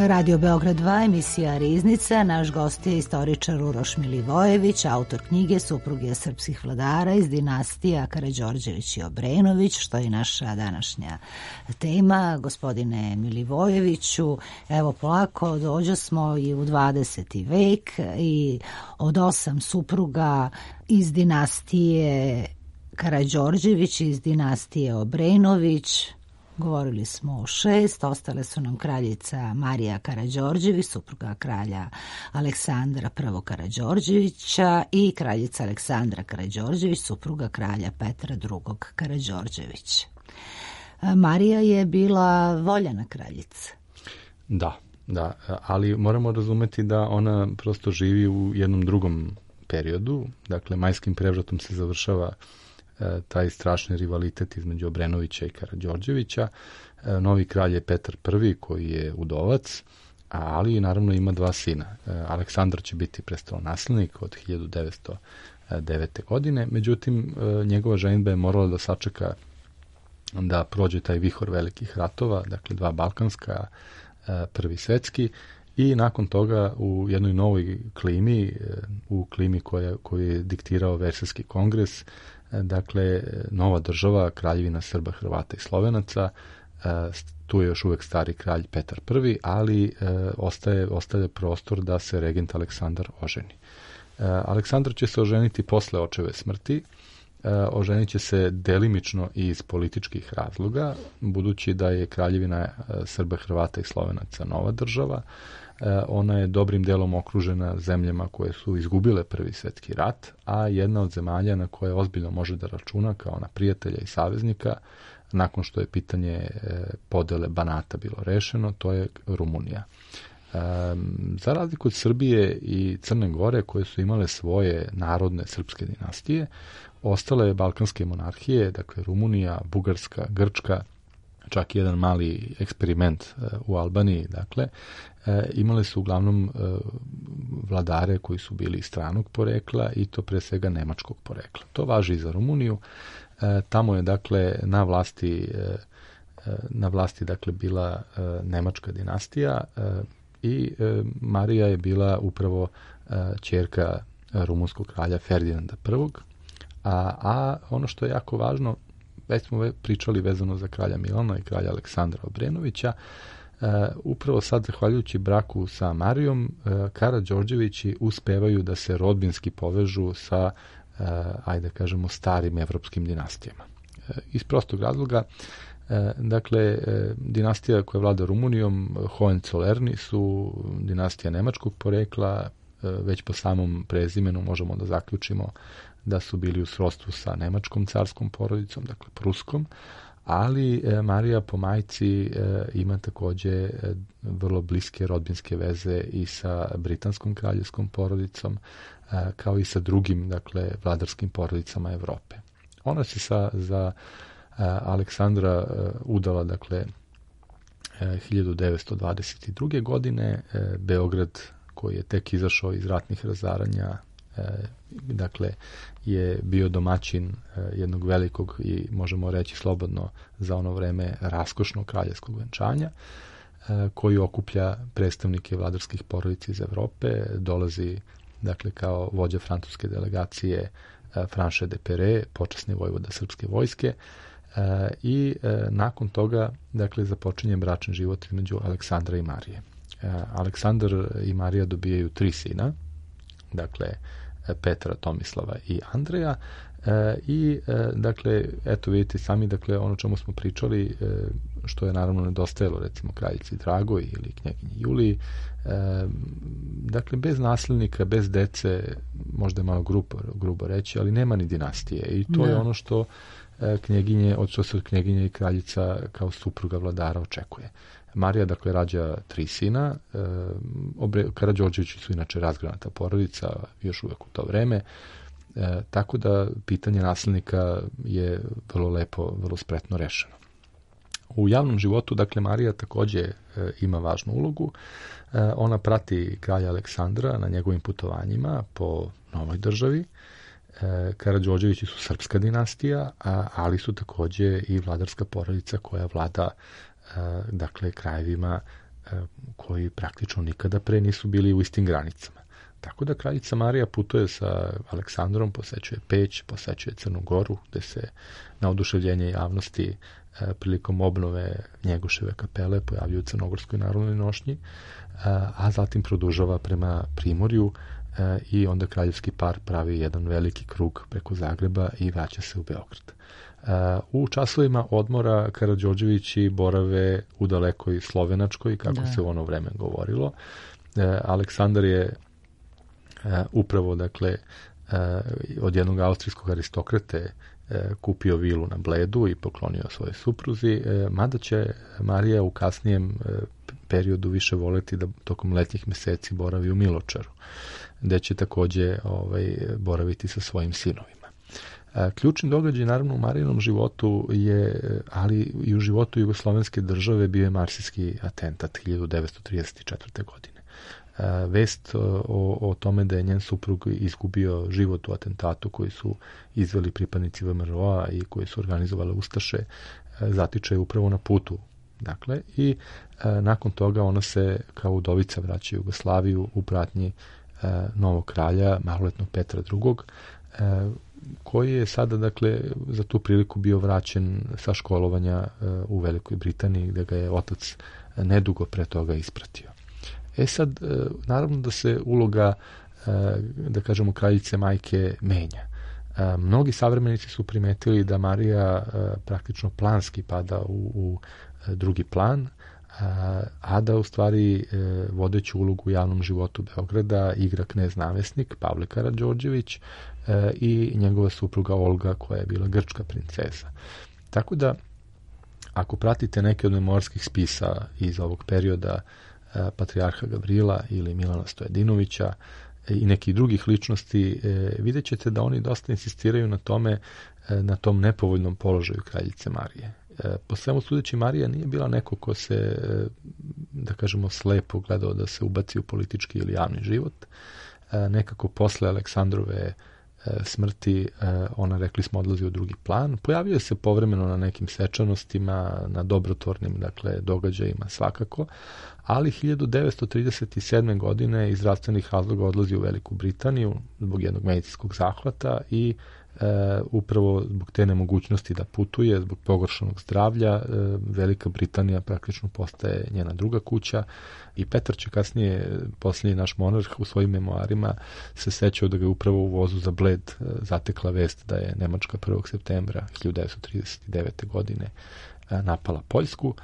S1: Radio Beograd 2, emisija Riznica. Naš gost je istoričar Uroš Milivojević, autor knjige Supruge srpskih vladara iz dinastija Karađorđević i Obrenović, što je naša današnja tema. Gospodine Milivojeviću, evo polako dođo smo i u 20. vek i od 8 supruga iz dinastije Karađorđević, iz dinastije Obrenović, govorili smo o 6, ostale su nam kraljica Marija Karađorđević, supruga kralja Aleksandra I. Karađorđevića i kraljica Aleksandra Karađorđević, supruga kralja Petra II. Karađorđevića. Marija je bila voljena kraljica.
S6: Da, ali moramo razumeti da ona prosto živi u jednom drugom periodu, dakle majskim prevratom se završava taj strašni rivalitet između Obrenovića i Karađorđevića. Novi kralj je Petar I koji je udovac, ali naravno ima 2 sina. Aleksandar će biti prestolonaslednik od 1909. godine, međutim njegova ženidba je morala da sačeka da prođe taj vihor velikih ratova, dakle 2 balkanska, Prvi svetski, i nakon toga u jednoj novoj klimi, u klimi koju je diktirao Versajski kongres, dakle nova država, kraljevina Srba, Hrvata i Slovenaca, tu je još uvek stari kralj Petar I, ali ostaje prostor da se regent Aleksandar oženi. Aleksandar će se oženiti posle očeve smrti, oženit će se delimično iz političkih razloga, budući da je kraljevina Srba, Hrvata i Slovenaca nova država. Ona je dobrim delom okružena zemljama koje su izgubile Prvi svetski rat, a jedna od zemalja na koje ozbiljno može da računa kao na prijatelja i saveznika, nakon što je pitanje podele Banata bilo rešeno, to je Rumunija. Za razliku od Srbije i Crne Gore, koje su imale svoje narodne srpske dinastije, ostale balkanske monarhije, dakle Rumunija, Bugarska, Grčka, čak i jedan mali eksperiment u Albaniji, dakle, imale su uglavnom vladare koji su bili stranog porekla i to pre svega nemačkog porekla. To važi i za Rumuniju. Tamo je, dakle, na vlasti dakle bila nemačka dinastija i Marija je bila upravo ćerka rumunskog kralja Ferdinanda I. A ono što je jako važno, već smo pričali vezano za kralja Milana i kralja Aleksandra Obrenovića, upravo sad, zahvaljujući braku sa Marijom, Karađorđevići uspevaju da se rodbinski povežu sa, ajde kažemo, starim evropskim dinastijama. Iz prostog razloga, dakle, dinastija koja vlada Rumunijom, Hohenzollernji, su dinastija nemačkog porekla, već po samom prezimenu možemo da zaključimo da su bili u srodstvu sa nemačkom carskom porodicom, dakle pruskom, ali Marija po majci ima takođe vrlo bliske rodbinske veze i sa britanskom kraljevskom porodicom, kao i sa drugim, dakle, vladarskim porodicama Evrope. Ona se za Aleksandra udala, dakle, 1922. godine. Beograd, koji je tek izašao iz ratnih razaranja, dakle, je bio domaćin jednog velikog i, možemo reći slobodno za ono vreme, raskošnog kraljevskog venčanja, koji okuplja predstavnike vladarskih porodica iz Evrope. Dolazi, dakle, kao vođa francuske delegacije Franche de Pere, počasni vojvoda srpske vojske, i nakon toga, dakle, započinje bračni život između Aleksandra i Marije. Aleksandar i Marija dobijaju 3 sina, dakle, Petra, Tomislava i Andreja, i dakle, eto vidite sami, dakle, ono čemu smo pričali, što je naravno nedostajalo recimo kraljici Dragoj ili knjaginji Juliji, dakle, bez nasljednika, bez dece, možda je malo grubo reći, ali nema ni dinastije, i to je ono što se od knjeginje i kraljica kao supruga vladara očekuje. Marija, dakle, rađa 3 sina. Karađorđevići su inače razgranata porodica još uvek u to vreme, tako da pitanje nasljednika je vrlo lepo, vrlo spretno rešeno. U javnom životu, dakle, Marija takođe ima važnu ulogu. Ona prati kralja Aleksandra na njegovim putovanjima po novoj državi. Karađorđevići su srpska dinastija, ali su takođe i vladarska porodica koja vlada, dakle, krajevima koji praktično nikada pre nisu bili u istim granicama. Tako da kraljica Marija putuje sa Aleksandrom, posećuje Peć, posećuje Crnu Goru, gde se na oduševljenje javnosti prilikom obnove Njegoševe kapele pojavljuju u Crnogorskoj narodnoj nošnji, a zatim produžava prema Primorju i onda kraljevski par pravi jedan veliki krug preko Zagreba i vraća se u Beograd. U časovima odmora Karađorđevići borave u dalekoj Slovenačkoj, kako se u ono vreme govorilo. Aleksandar je upravo, dakle, od jednog austrijskog aristokrate kupio vilu na Bledu i poklonio svoje supruzi, mada će Marija u kasnijem periodu više voleti da tokom letnjih meseci boravi u Miločaru, gde će takođe boraviti sa svojim sinovima. Ključni događaj, naravno, u Marijinom životu je, ali i u životu jugoslovenske države, bio je marsijski atentat 1934. godine. Vest o tome da je njen suprug izgubio život u atentatu koji su izveli pripadnici VMRO-a i koji su organizovale ustaše, zatiče upravo na putu. Dakle, i nakon toga ona se kao udovica vraća u Jugoslaviju u pratnji novog kralja, maloletnog Petra II, koji je sada, dakle, za tu priliku bio vraćen sa školovanja u Velikoj Britaniji, gde ga je otac nedugo pre toga ispratio. Sad, naravno da se uloga, da kažemo, kraljice majke menja. Mnogi savremenici su primetili da Marija praktično planski pada u drugi plan, a da u stvari vodeću ulogu u javnom životu Beograda igra knez namesnik Pavle Karađorđević i njegova supruga Olga, koja je bila grčka princeza. Tako da, ako pratite neke od memorskih spisa iz ovog perioda patrijarha Gavrila ili Milana Stojadinovića i nekih drugih ličnosti, vidjet ćete da oni dosta insistiraju na tome, na tom nepovoljnom položaju kraljice Marije. Po svemu sudeći, Marija nije bila neko ko se, da kažemo, slepo gledao da se ubaci u politički ili javni život. Nekako posle Aleksandrove smrti ona, rekli smo, odlazi u drugi plan. Pojavio se povremeno na nekim svečanostima, na dobrotvornim, dakle, događajima svakako, ali 1937. godine iz zdravstvenih razloga odlazi u Veliku Britaniju zbog jednog medicinskog zahvata i upravo zbog te nemogućnosti da putuje, zbog pogoršanog zdravlja, Velika Britanija praktično postaje njena druga kuća i Petar će kasnije, posljednji naš monarh, u svojim memoarima se sećao da ga je upravo u vozu za Bled zatekla vest da je Nemačka 1. septembra 1939. godine napala Poljsku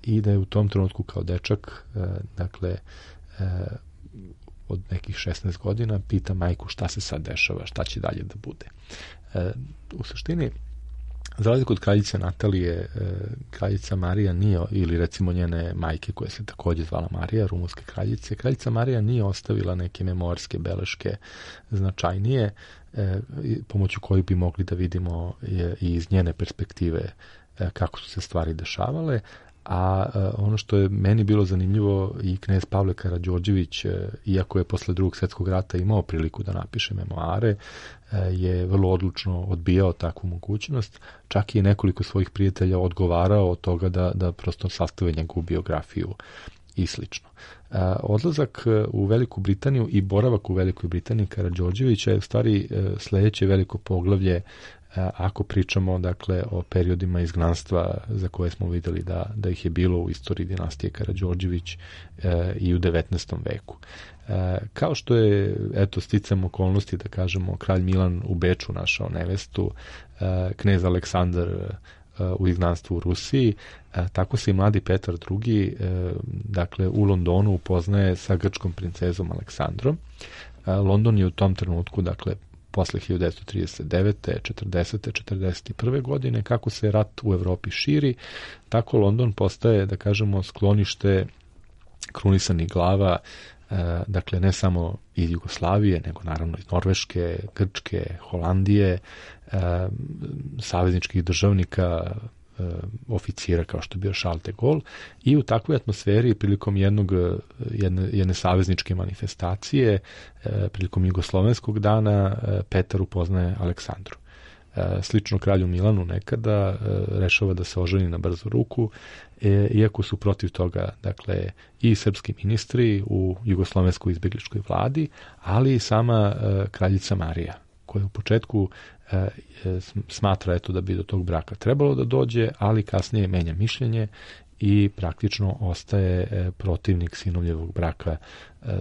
S6: i da je u tom trenutku kao dečak, dakle, od nekih 16 godina, pita majku šta se sad dešava, šta će dalje da bude. U suštini, za razliku od kraljice Natalije, kraljica Marija nije, ili recimo njene majke koja se takođe zvala Marija, rumunske kraljice, kraljica Marija nije ostavila neke memorske beleške značajnije, pomoću kojih bi mogli da vidimo i iz njene perspektive kako su se stvari dešavale. A ono što je meni bilo zanimljivo, i knez Pavle Karađorđević, iako je posle Drugog svjetskog rata imao priliku da napiše memoare, je vrlo odlučno odbijao takvu mogućnost. Čak i nekoliko svojih prijatelja odgovarao od toga da prosto sastave njegovu biografiju i slično. Odlazak u Veliku Britaniju i boravak u Velikoj Britaniji Karađorđevića je u stvari sledeće veliko poglavlje ako pričamo, dakle, o periodima izgnanstva za koje smo videli da ih je bilo u istoriji dinastije Karađorđević i u 19. veku. Kao što je, eto, sticam okolnosti, da kažemo, kralj Milan u Beču našao nevestu, knez Aleksandar u izgnanstvu u Rusiji, tako se i mladi Petar II, dakle, u Londonu upoznaje sa grčkom princezom Aleksandrom. London je u tom trenutku, dakle, posle 1939. 40. 41. godine, kako se rat u Evropi širi, tako London postaje, da kažemo, sklonište krunisanih glava, dakle, ne samo iz Jugoslavije, nego naravno iz Norveške, Grčke, Holandije, savezničkih državnika, oficira kao što je bio Charles de Gaulle, i u takvoj atmosferi prilikom jedne savezničke manifestacije, prilikom Jugoslovenskog dana, Petar upoznaje Aleksandru. slično kralju Milanu nekada, rešava da se oženi na brzu ruku, iako su protiv toga, dakle, i srpski ministri u jugoslovenskoj izbjegličkoj vladi, ali i sama kraljica Marija, koja u početku smatra da bi do tog braka trebalo da dođe, ali kasnije menja mišljenje i praktično ostaje protivnik sinovljevog braka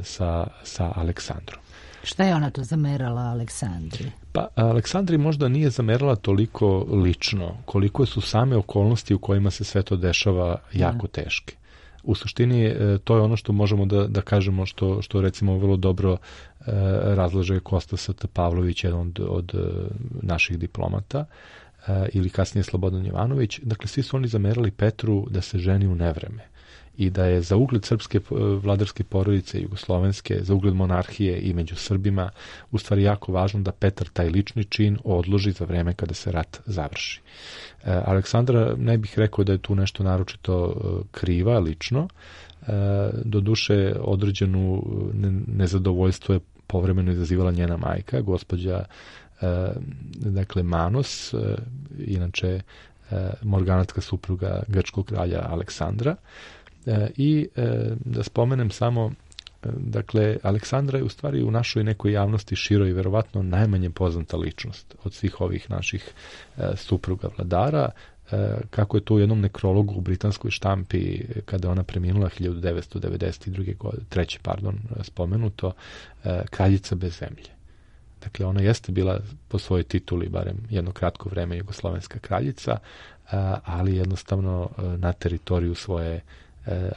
S6: sa Aleksandrom.
S1: Šta je ona to zamerala Aleksandri?
S6: Pa, Aleksandri možda nije zamerala toliko lično, koliko su same okolnosti u kojima se sve to dešava jako teške. U suštini, to je ono što možemo da kažemo, što recimo vrlo dobro razlaže Kosta St. Pavlović, jedan od naših diplomata, ili kasnije Slobodan Jovanović. Dakle, svi su oni zamerali Petru da se ženi u nevreme i da je za ugled srpske vladarske porodice jugoslovenske, za ugled monarhije i među Srbima u stvari jako važno da Petar taj lični čin odloži za vreme kada se rat završi. Aleksandra, ne bih rekao da je tu nešto naročito kriva lično, doduše određenu nezadovoljstvo je povremeno izazivala njena majka, gospođa dakle Manos, inače morganatska supruga grčkog kralja Aleksandra. I da spomenem samo, dakle, Aleksandra je u stvari u našoj nekoj javnosti široj verovatno najmanje poznata ličnost od svih ovih naših supruga vladara. Kako je to u jednom nekrologu u britanskoj štampi, kada ona preminula 1993. Spomenuto, kraljica bez zemlje. Dakle, ona jeste bila po svojoj tituli, barem jedno kratko vreme, jugoslovenska kraljica, ali jednostavno na teritoriju svoje,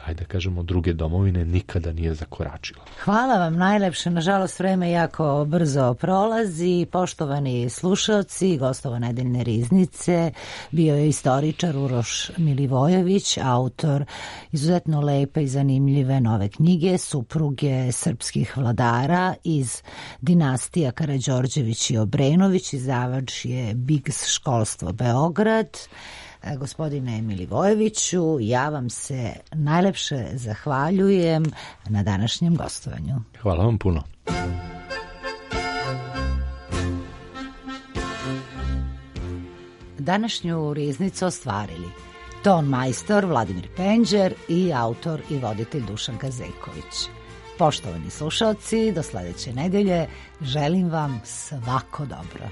S6: ajde kažemo, druge domovine nikada nije zakoračila.
S1: Hvala vam najlepše. Nažalost, vreme jako brzo prolazi. Poštovani slušalci, gostova nedeljne riznice bio je istoričar Uroš Milivojević, autor izuzetno lepe i zanimljive nove knjige Supruge srpskih vladara iz dinastija Karađorđević i Obrenović. Izdavač je Bigs školstvo Beograd. Gospodine Milivojeviću, ja vam se najlepše zahvaljujem na današnjem gostovanju.
S6: Hvala vam puno.
S1: Današnju riznicu ostvarili ton majstor Vladimir Penđer i autor i voditelj Dušan Kazejković. Poštovani slušalci, do sledeće nedelje želim vam svako dobro.